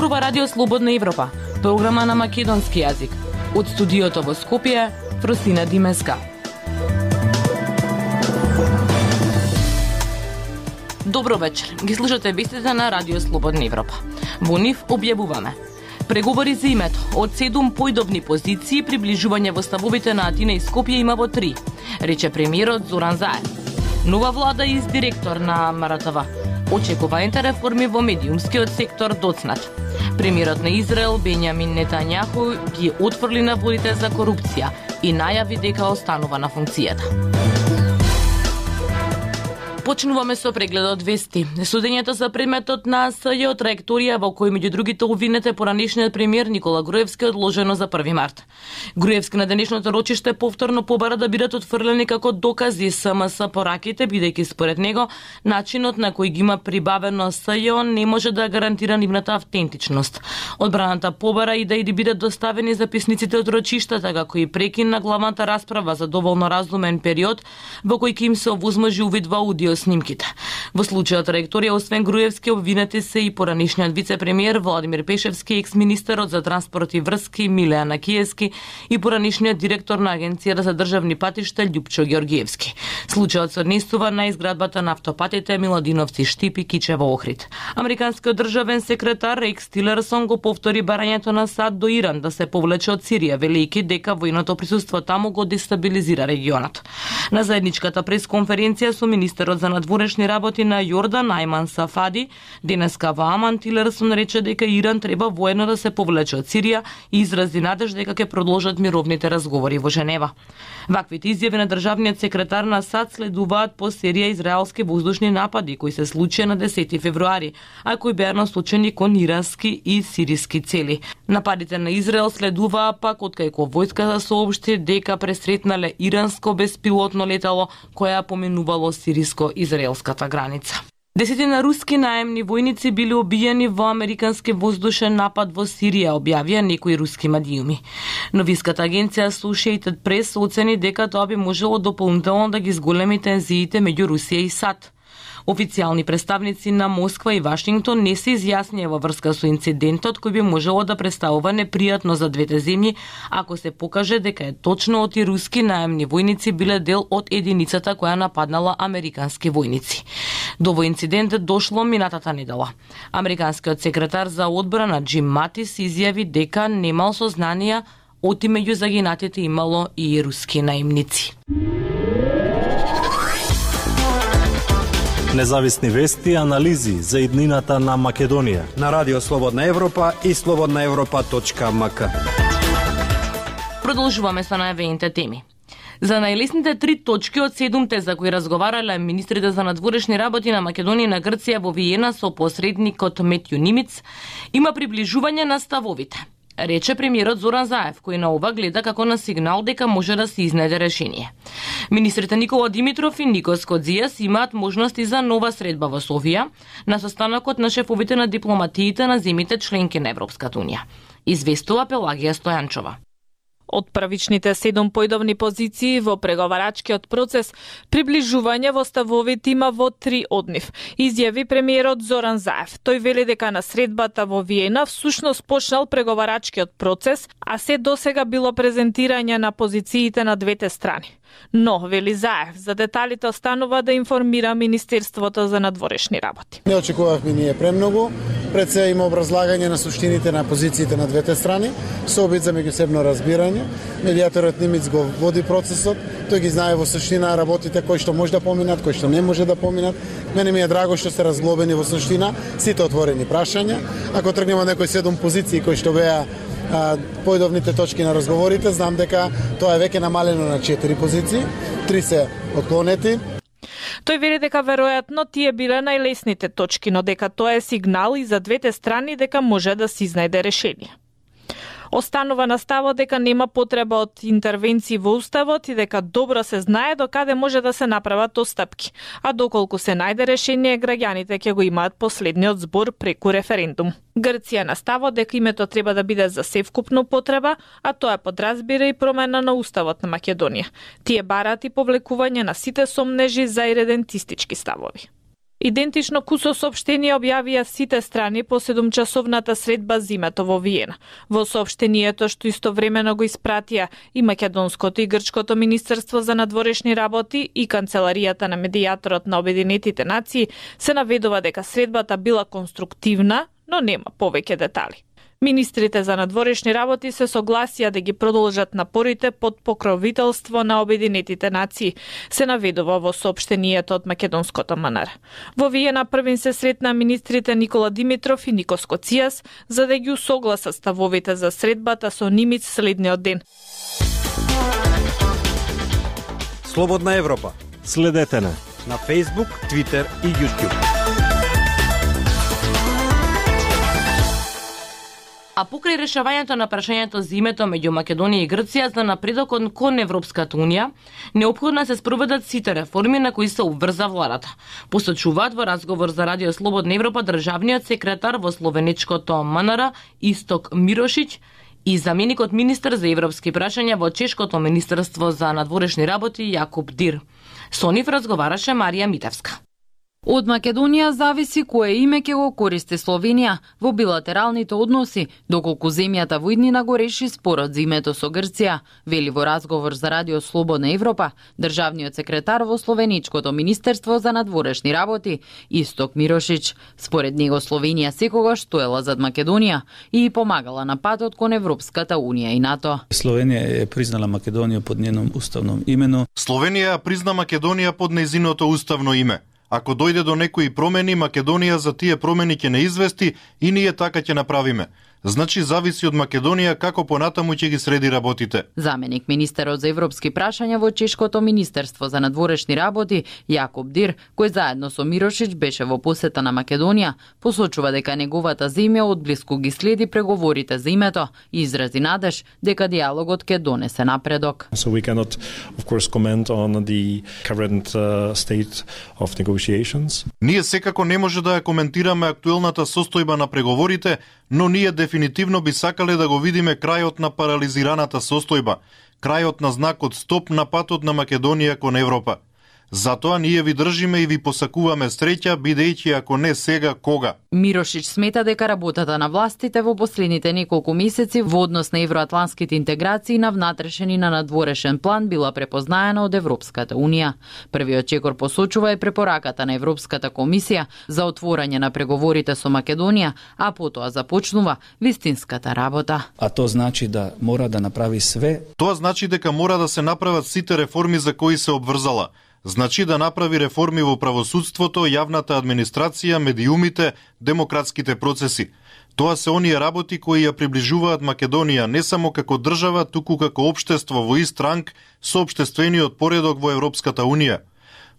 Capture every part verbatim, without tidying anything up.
зборува Радио Слободна Европа, програма на македонски јазик. Од студиото во Скопје, Фросина Димеска. Добро вечер. Ги слушате вестите на Радио Слободна Европа. Во нив објавуваме: преговори за името од седум поидобни позиции, приближување во ставовите на Атина и Скопје има во три, рече премиерот Зоран Заев. Нова влада и директор на М Р Т В. Очекуваните реформи во медиумскиот сектор доцнат. Премиерот на Израел Бенјамин Нетањаху ги отфрли наводите за корупција и најави дека останува на функцијата. Почнуваме со прегледот вести. Судењето за предметот на СЈ од траекторија во кој меѓу другите обвинет е поранешниот премиер Никола Груевски одложено за први март. Груевски на денешното рочиште повторно побара да бидат отфрлени како докази СМС пораките, бидејќи според него начинот на кој ги има прибавено СЈ не може да гарантира нивната автентичност. Одбраната побара и да и да бидат доставени записниците од рочиштата, како и прекин на главната расправа за доволно разумен период во кој ќе им се овозможи увид во аудио снимките. Во случајот траекторија, освен Груевски, обвинети се и поранешниот вице-премиер Владимир Пешевски, екс-министерот за транспорт и врски Милеа Накиевски и поранешниот директор на Агенцијата за државни патишта Љупчо Ѓоргиевски. Случајот се однесува на изградбата на автопатите Миладиновци Штипи Кичево Охрид. Американскиот државен секретар Рекс Тилерсон го повтори барањето на САД до Иран да се повлече од Сирија, велејќи дека војното присуство таму го дестабилизира регионот. На заедничката пресконференција со министерот за надворешни работи на Јордан Ајман Сафади, денеска во Аман, Тилерсон рече дека Иран треба воено да се повлече од Сирија и изрази надеж дека ќе продолжат мировните разговори во Женева. Ваквите изјави на државниот секретар на САД следуваат по серија израелски воздушни напади кои се случија на десети февруари, а кои беа насочени кон ирански и сириски цели. Нападите на Израел следуваа пак откако војската соопшти дека пресретнале иранско беспилотно летало кое поминувало сириско-израелската граница. Десетина руски наемни војници били убиени во американски воздушен напад во Сирија, објавија некои руски медиуми. Новиската агенција Associated Press оцени дека тоа би можело дополнително да ги зголеми тензиите меѓу Русија и САД. Официјални представници на Москва и Вашингтон не се изјаснија во врска со инцидентот кој би можело да представува непријатно за двете земји ако се покаже дека е точно оти руски наемни војници биле дел од единицата која нападнала американски војници. До овој инцидент дошло минатата недела. Американскиот секретар за одбрана Џим Матис изјави дека немал сознанија оти меѓу загинатите имало и руски наемници. Независни вести и анализи за иднината на Македонија на Радио Слободна Европа и слободна европа точка м к. Продолжуваме со најавените теми. За најлесните три точки од седумте за кои разговарале министрите за надворешни работи на Македонија и на Грција во Виена со посредникот Метју Нимиц, има приближување на ставовите, рече премиерот Зоран Заев, кој на ова гледа како на сигнал дека може да се изнајде решение. Министрите Никола Димитров и Никос Кодзијас имаат можности за нова средба во Софија на состанокот на шефовите на дипломатиите на земјите членки на Европската унија. Известува Пелагија Стојанчова. Од првичните седум поидовни позиции во преговарачкиот процес, приближување во ставовите има во три од нив, изјави премиерот Зоран Заев. Тој вели дека на средбата во Виена всушност почнал преговарачкиот процес, а се досега било презентирање на позициите на двете страни. Но, вели Заев, за деталите останува да информира Министерството за надворешни работи. Не очекувавме ние премногу, пред се има образлагање на суштините на позициите на двете страни, со обид за меѓусебно разбирање. Медијаторот Нимиц го води процесот, тој ги знае во суштина работите кои што може да поминат, кои што не може да поминат. Мене ми е драго што се разглобени во суштина сите отворени прашања. Ако тргнеме од некои седум позиции кои што беа поидовните точки на разговорите, знам дека тоа е веќе намалено на четири позиции, три се отклонети. Тој вели дека веројатно тие биле најлесните точки, но дека тоа е сигнал и за двете страни дека може да се изнајде решение. Останува на ставот дека нема потреба од интервенции во уставот и дека добро се знае до каде може да се направат отстапки, а доколку се најде решение, граѓаните ќе го имаат последниот збор преку референдум. Грција на ставот дека името треба да биде за севкупна потреба, а тоа подразбира и промена на уставот на Македонија. Тие бараат и повлекување на сите сомнежи за иредентистички ставови. Идентично кусо соопштение објавија сите страни по седумчасовната средба зимето во Виена. Во соопштението што истовремено го испратија и македонското и грчкото министерство за надворешни работи и канцеларијата на медијаторот на Обединетите нации, се наведува дека средбата била конструктивна, но нема повеќе детали. Министрите за надворешни работи се согласија да ги продолжат напорите под покровителство на Обединетите нации, се наведува во соопштението од македонското МНР. Во Виена првин се сретна министрите Никола Димитров и Никос Коцијас за да ги усогласат ставовите за средбата со Нимиц следниот ден. Слободна Европа. Следете на на Facebook, Twitter и YouTube. А покрај решавањето на прашањето за името меѓу Македонија и Грција за напредокот кон Европската Унија, неопходно се спроведат сите реформи на кои се обврза владата. Посочуваат во разговор за Радио Слободна Европа државниот секретар во словеничкото МНР Исток Мирошиќ и заменикот министер за европски прашања во чешкото министерство за надворешни работи Јакуб Дир. Со нив разговараше Марија Митевска. Од Македонија зависи кое име ќе го користи Словенија во билатералните односи, доколку земјата во иднина го реши спорот за името со Грција, вели во разговор за Радио Слободна Европа државниот секретар во Словеничкото министерство за надворешни работи Исток Мирошиќ. Според него Словенија секогаш стоела зад Македонија и помагала на патот кон Европската Унија и НАТО. Словенија е признала Македонија под нjenom уставном имено. Словенија призна Македонија под нејзиното уставно име. Ако дојде до некои промени, Македонија за тие промени ќе не извести и ние така ќе направиме. Значи зависи од Македонија како понатаму ќе ги среди работите. Заменик министерот за европски прашања во чешкото министерство за надворешни работи Јакуб Дир, кој заедно со Мирошиќ беше во посета на Македонија, посочува дека неговата земја одблиску ги следи преговорите за името и изрази надеж дека диалогот ќе донесе напредок. So we cannot of course comment on the current uh, state of negotiations. Ние секако не може да ја коментираме актуелната состојба на преговорите, но ние дефинитивно би сакале да го видиме крајот на парализираната состојба, крајот на знакот стоп на патот на Македонија кон Европа. Затоа ние ви држиме и ви посакуваме среќа, бидејќи ако не сега, кога? Мирошиќ смета дека работата на властите во последните неколку месеци во однос на евроатланските интеграции на внатрешен и на надворешен план била препознаена од Европската Унија. Првиот чекор посочува е препораката на Европската комисија за отворање на преговорите со Македонија, а потоа започнува вистинската работа. А то значи да мора да направи све. Тоа значи дека мора да се направат сите реформи за кои се обврзала. Значи да направи реформи во правосудството, јавната администрација, медиумите, демократските процеси. Тоа се оние работи кои ја приближуваат Македонија не само како држава, туку како општество во ист ранг со општествениот поредок во Европската Унија.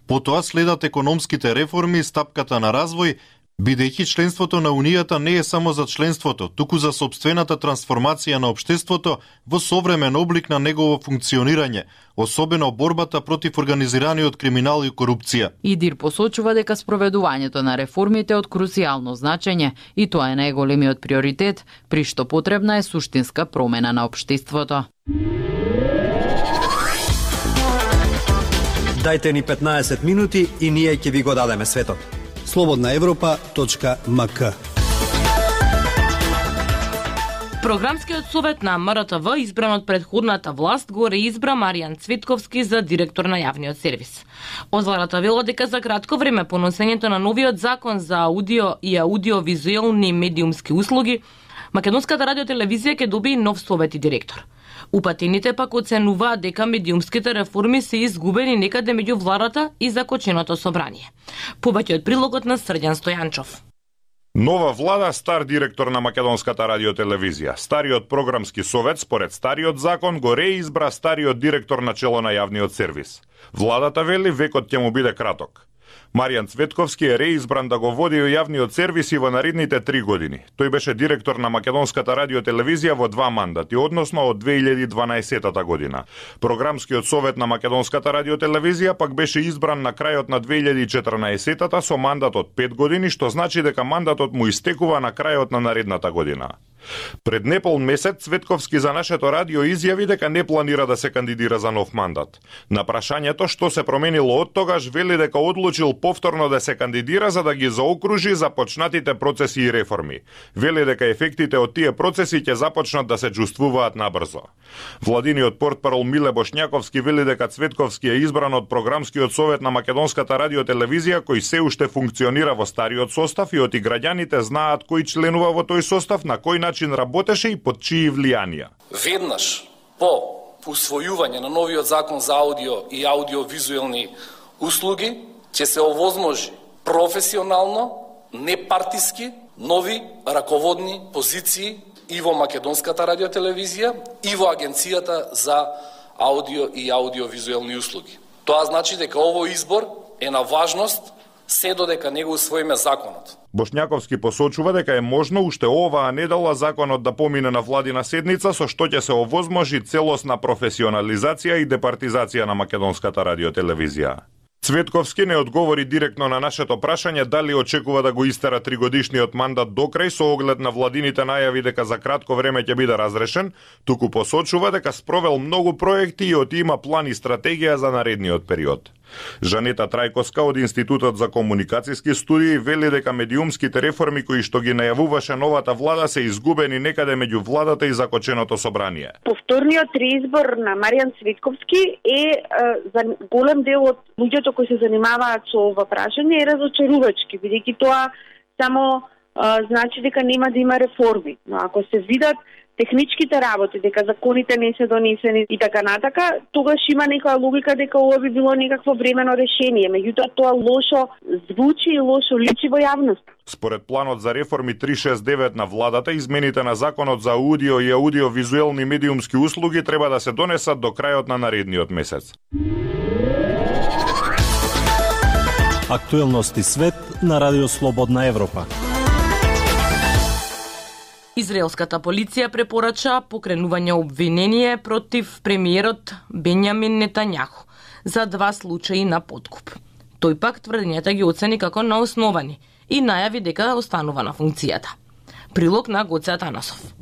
Потоа следат економските реформи, стапката на развој, бидејќи членството на Унијата не е само за членството, туку за сопствената трансформација на општеството во современ облик на негово функционирање, особено борбата против организираниот криминал и корупција. Идир посочува дека спроведувањето на реформите е од крусијално значење и тоа е најголемиот приоритет, при што потребна е суштинска промена на општеството. Дајте ни петнаесет минути и ние ќе ви го дадеме светот. слободна европа точка ем ка. Програмскиот совет на М Р Т В, избран од претходната власт, го реизбра Маријан Цветковски за директор на јавниот сервис. Озварата вела дека за кратко време по носењето на новиот закон за аудио и аудиовизуелни медиумски услуги, Македонската радиотелевизија ќе добие нов совет и директор. Упатените пак оценуваат дека медиумските реформи се изгубени некаде меѓу владата и закоченото собрание. Повеќе од прилогот на Срđan Стојанчов. Нова влада, стар директор на Македонската радиотелевизија. Стариот програмски совет, според стариот закон, го реизбра стариот директор на чело на јавниот сервис. Владата вели векот ќе му биде краток. Маријан Цветковски е реизбран да го води јавниот сервис и во наредните три години. Тој беше директор на Македонската радиотелевизија во два мандати, односно од две илјади и дванаесета година. Програмскиот совет на Македонската радиотелевизија пак беше избран на крајот на две илјади и четрнаесета со мандат од пет години, што значи дека мандатот му истекува на крајот на наредната година. Пред непол месец Цветковски за нашето радио изјави дека не планира да се кандидира за нов мандат. На прашањето што се променило од тогаш, вели дека одлучил повторно да се кандидира за да ги заокружи започнатите процеси и реформи. Вели дека ефектите од тие процеси ќе започнат да се чувствуваат набрзо. Владиниот портпарол Миле Бошњаковски вели дека Цветковски е избран од програмскиот совет на Македонската радиотелевизија кој се уште функционира во стариот состав и оти граѓаните знаат кој членува во тој состав, на кој начин работеше и под чии влијанија. Веднаш по усвојување на новиот закон за аудио и аудиовизуелни услуги ќе се овозможи професионално, непартиски, нови раководни позиции и во Македонската радиотелевизија и во Агенцијата за аудио и аудиовизуелни услуги. Тоа значи дека овој избор е на важност се додека не го усвоиме законот. Бошњаковски посочува дека е можно уште оваа недела законот да помине на владина седница, со што ќе се овозможи целосна професионализација и департизација на Македонската радиотелевизија. Цветковски не одговори директно на нашето прашање дали очекува да го истера тригодишниот мандат до крај со оглед на владините најави дека за кратко време ќе биде разрешен, туку посочува дека спровел многу проекти и оти има план и стратегија за наредниот период. Жанета Трајковска од Институтот за комуникацијски студии вели дека медиумските реформи кои што ги најавуваше новата влада се изгубени некаде меѓу владата и закоченото собрание. Повторниот реизбор на Маријан Цветковски е, е за голем дел од луѓето кои се занимаваат со ова прашање е разочарувачки, бидејќи тоа само а, значи дека нема да има реформи. Но ако се видат техничките работи, дека законите не се донесени и така натака, тогаш има некоја логика дека ова би било некакво времено решение. Меѓутоа тоа лошо звучи и лошо личи во јавност. Според планот за реформи триста шестдесет и девет на владата, измените на законот за аудио и аудиовизуелни медиумски услуги треба да се донесат до крајот на наредниот месец. Актуелности свет на Радио Слободна Европа. Израелската полиција препорача покренување обвинение против премиерот Бенјамин Нетањаху за два случаи на подкуп. Тој пак тврдењата ги оцени како неосновани и најави дека останува на функцијата. Прилог на Гоце Атанасов.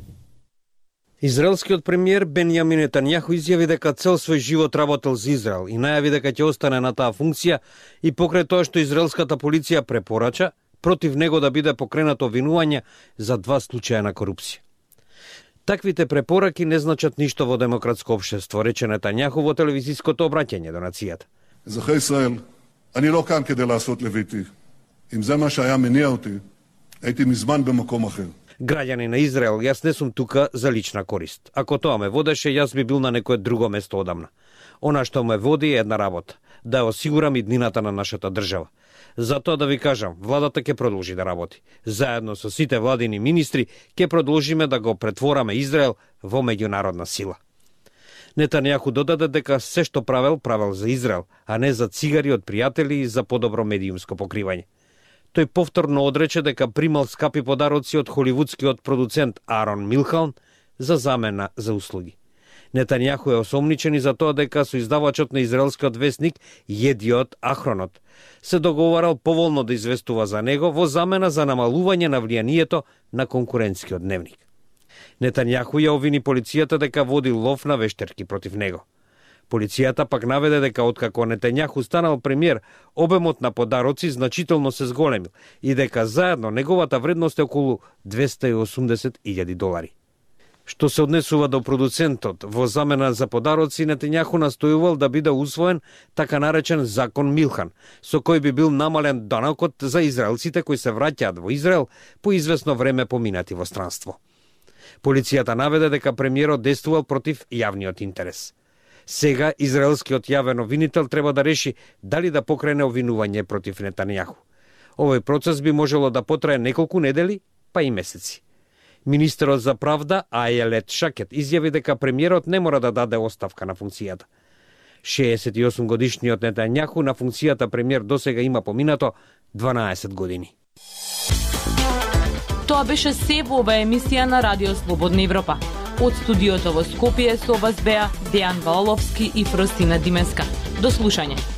Израелскиот премиер Бенјамин Нетањаху изјави дека цел свој живот работел за Израел и најави дека ќе остане на таа функција и покрај тоа што израелската полиција препорача против него да биде покренато обвинување за два случаја на корупција. Таквите препораки не значат ништо во демократско општество, рече Нетањаху во телевизиското обраќање до нацијата. אזרחי ישראל, אני לא כאן כדי לעשות לביתי. אם זה מה שהיה מניע אותי, הייתי מזמן במקום אחר. Граѓани на Израел, јас не сум тука за лична корист. Ако тоа ме водеше, јас би бил на некое друго место одамна. Она што ме води е една работа, да ја осигурам иднината на нашата држава. Затоа да ви кажам, владата ќе продолжи да работи. Заедно со сите владини министри ќе продолжиме да го претвораме Израел во меѓународна сила. Нетањаху додаде дека се што правел, правел за Израел, а не за цигари од пријатели и за подобро медиумско покривање. Тој повторно одрече дека примал скапи подароци од холивудскиот продуцент Арон Милхан за замена за услуги. Нетањаху е осомничен и за тоа дека со издавачот на израелскиот весник Једиот Ахронот се договарал поволно да известува за него во замена за намалување на влијанието на конкурентскиот дневник. Нетањаху ја обвини полицијата дека води лов на вештерки против него. Полицијата пак наведе дека откако Нетањаху станал премиер, обемот на подароци значително се зголемил и дека заедно неговата вредност е околу двесте и осумдесет илјади долари. Што се однесува до продуцентот, во замена за подароци Нетањаху настојувал да биде усвоен така наречен закон Милхан, со кој би бил намален данокот за израелците кои се враќаат во Израел по известно време поминати во странство. Полицијата наведе дека премиерот действувал против јавниот интерес. Сега израелскиот јавен обвинител треба да реши дали да покрене обвинување против Нетањаху. Овој процес би можело да потрае неколку недели, па и месеци. Министерот за правда Ајелет Шакет изјави дека премиерот не мора да даде оставка на функцијата. шеесет и осум годишниот Нетањаху на функцијата премиер досега има поминато дванаесет години. Тоа беше се во оваа емисија на Радио Слободна Европа. Од студиото во Скопје со вас беа Дејан Валовски и Фростина Димеска. До слушање.